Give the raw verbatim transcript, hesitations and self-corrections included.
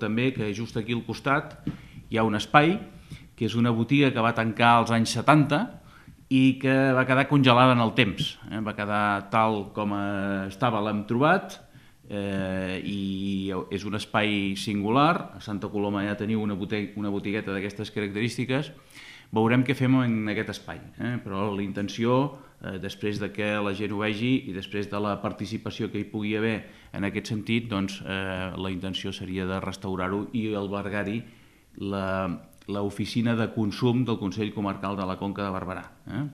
també que just aquí al costat hi ha un espai, que és una botiga que va tancar als anys setanta i que va quedar congelada en el temps. Eh? Va quedar tal com estava, l'hem trobat, eh, i és un espai singular. A Santa Coloma ja teniu una, botiga, una botigueta d'aquestes característiques. Veurem què fem en aquest espai, eh? Però la intenció, eh, després de que la gent ho vegi i després de la participació que hi pugui haver en aquest sentit, doncs eh, la intenció seria de restaurar-ho i albergar-hi la l'oficina de consum del Consell Comarcal de la Conca de Barberà. Eh?